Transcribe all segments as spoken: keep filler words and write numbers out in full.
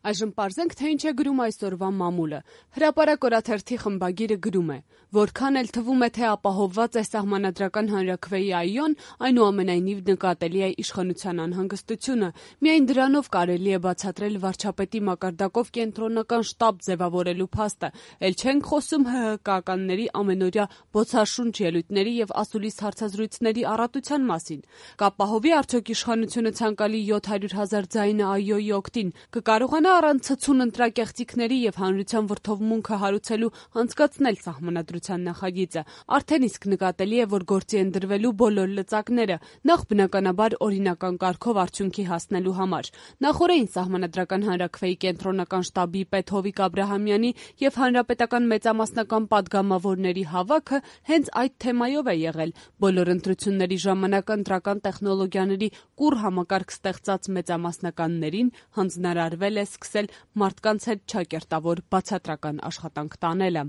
Այժմ պարզենք, թե ինչ է գրում այսօրվա մամուլը։ Հրապարակ օրաթերթի խմբագիրը գրում է. որքան էլ թվում է, թե ապահովված է սահմանադրական հանրաքվեի այոն, այնուամենայնիվ նկատելի է իշխանության անհանգստությունը։ Միայն դրանով կարելի է բացատրել վարչապետի մակարդակով կենտրոնական շտաբ ձևավորելու փաստը։ Էլ չենք խոսում ՀՀԿ-ականների ամենօրյա բոցաշունչ ելույթների եւ ասուլիս հարցազրույցների առատության մասին։ Կապահովի արդյոք իշխանությունը ցանկալի յոթ հարյուր հազար ձայնը այոյի օգտին, կկարողանա առանց ցցուն ընտրակեղծիքների եւ հանրության վրդովմունքը հարուցելու անցկացնել սահմանադրության նախագիծը։ Արդեն իսկ նկատելի է, որ գործի են դրվելու բոլոր լծակները, նախ բնականաբար օրինական կարգով արդյունքի հասնելու համար։ Նախօրեին սահմանադրական հանրաքվեի կենտրոնական շտաբի պետ Հովիկ Աբրահամյանի եւ հանրապետական մեծամասնական պատգամավորների հավաքը հենց այդ թեմայով է եղել։ Բոլոր ընտրությունների ժամանակ ընտրական տեխնոլոգիաների կուռ համակարգ ստեղծած մեծամասնականներին հանձնարարվել է սկսել մարդկանց հետ չակերտավոր բացատրական աշխատանք տանելը։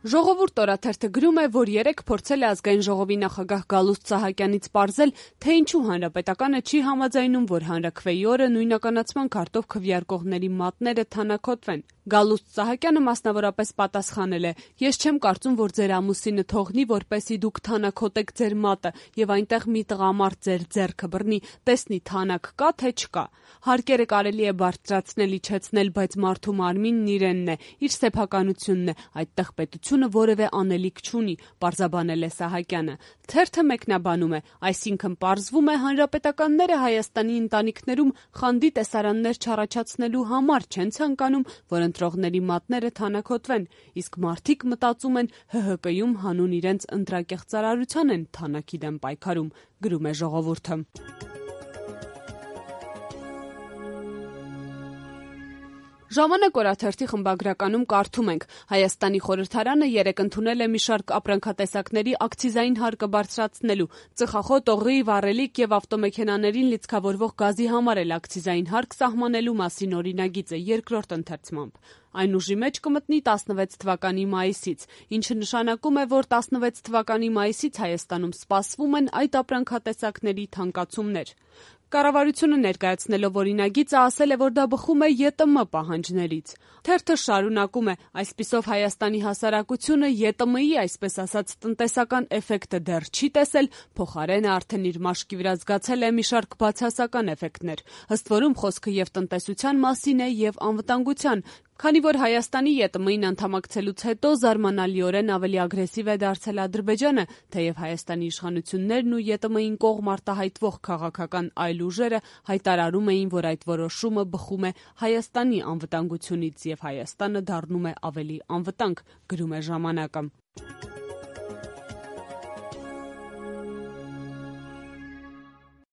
Ժողովուրդ օրաթերթը գրում է, որ երեկ փորձել է ազգային ժողովի նախագահ Գալուստ Սահակյանից պարզել, թե ինչու հանրապետականը չի համաձայնում, որ հանրաքվեի օրը նույնականացման քարտով քվեարկողների մատները թանաքոտվեն։ Գալուստ Սահակյանը մասնավորապես պատասխանել է. «Ես չեմ կարծում, որ ձեր ամուսինը թողնի, որպեսզի դուք թանաքոտեք ձեր մատը եւ այնտեղ մի տղամարդ ձեր ձեռքը բռնի, տեսնի թանաք կա թե չկա։ Հարկերը կարելի է բարձրացնել, իջեցնել, բայց մարդու մարմինն իրենն է, իր սեփականությունն է, այդտեղ պետությունը որևէ անելիք չունի», պարզաբանել է Սահակյանը։ Թերթը մեկնաբանում է. «Այսինքն պարզվում է, հանրապետականները Հայաստանի ընտանիքներում խանդի տեսարաններ չառաջացնելու համար չեն ցանկանում, որ ընտրողների մատները թանաքոտվեն, իսկ մարդիկ մտածում են ՀՀԿ-ում հանուն իրենց ընտրակեղծարարության են թանաքի դեմ պայքարում», գրում է Ժողովուրդը։ Ժամանակ օրաթերթի խմբագրականում կարդում ենք. Հայաստանի խորհրդարանը երեկ ընդունել է մի շարք ապրանքատեսակների ակցիզային հարկը բարձրացնելու, ծխախոտ, օղի, վառելիք եւ ավտոմեքենաներին լիցքավորվող գազի համար էլ ակցիզային հարկ սահմանելու մասին օրինագիծը երկրորդ ընթերցմամբ։ Այն ուժի մեջ կմտնի տասնվեց թվականի մայիսից, ինչը նշանակում է, որ տասնվեց թվականի մայիսից Հայաստանում սպասվում են այդ ապրանքատեսակների թանկացումներ։ Կառավարությունը ներկայացնելով օրինագիծը ասել է, որ դա բխում է ԵՏՄ պահանջներից։ Թերթը շարունակում է. այսպիսով Հայաստանի հասարակությունը ԵՏՄ-ի, այսպես ասած, տնտեսական էֆեկտը դեռ չի տեսել, փոխարենը արդեն իր մաշկի վրա զգացել է մի շարք բացասական էֆեկտներ։ Ըստ որում խոսքը եւ տնտեսության մասին է եւ անվտանգության, քանի որ Հայաստանի ԵՏՄ-ին անդամակցելուց հետո զարմանալիորեն ավելի ագրեսիվ է դարձել Ադրբեջանը, թեև Հայաստանի իշխանություններն ու ԵՏՄ-ին կողմ արտահայտվող քաղաքական այլ ուժերը հայտարարում էին, որ այդ որոշումը բխում է Հայաստանի անվտանգությունից եւ Հայաստանը դառնում է ավելի անվտանգ, գրում է Ժամանակը։